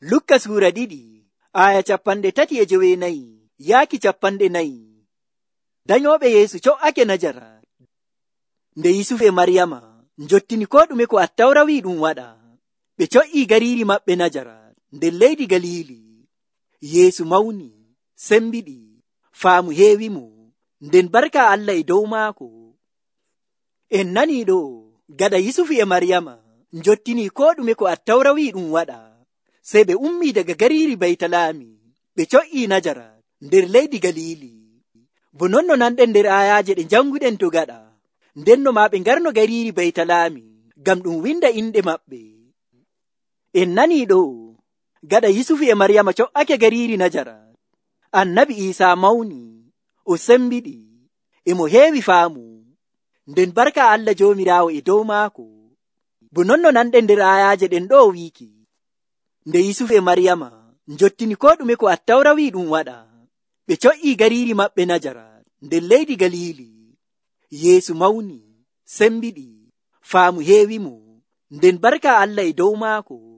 Lukka suura 2 aya 34 yaaki 40. Danyooɓe Yeesu co'ake Najarat. Nde Yusuf e Maryama njottini ko ɗume ko Attawra wi ɗum waɗa, ɓe co'ii gariiri maɓɓe Najarat nder leydi Galili. Yeesu mawni, sembiɗi, faamu heewimo, nden barka Allah e dow maako. En nanii ɗo gaɗa Yusuf e Maryama njottini ko ɗume ko Attawra wi ɗum waɗa, sey ɓe ummii daga gariiri Baytalami ɓe co'ii Najarat nder leydi Galili. Bo non no nanɗen nder ayaaje ɗe janguɗen to gaɗa, ndenno maa ɓe ngarno gariiri Baytalami ngam ɗum winda inɗe maɓɓe. En nanii ɗo gaɗa Yusuf e Maryama co'ake gariiri Najarat, Annabi Iisaa mawni, o sembiɗi, e mo heewi faamu, nden barka Allah Joomiraawo e dow maako. Bo non no nanɗen nder ayaaje ɗen ɗo wiiki, nde Yusuf e Maryama njottini ko ɗume ko Attawra wi ɗum waɗa, ɓe co'ii gariiri maɓɓe Najarat nder leydi Galili. Yeesu mawni, sembiɗi, faamu heewimo, nden barka Allah e dow maako.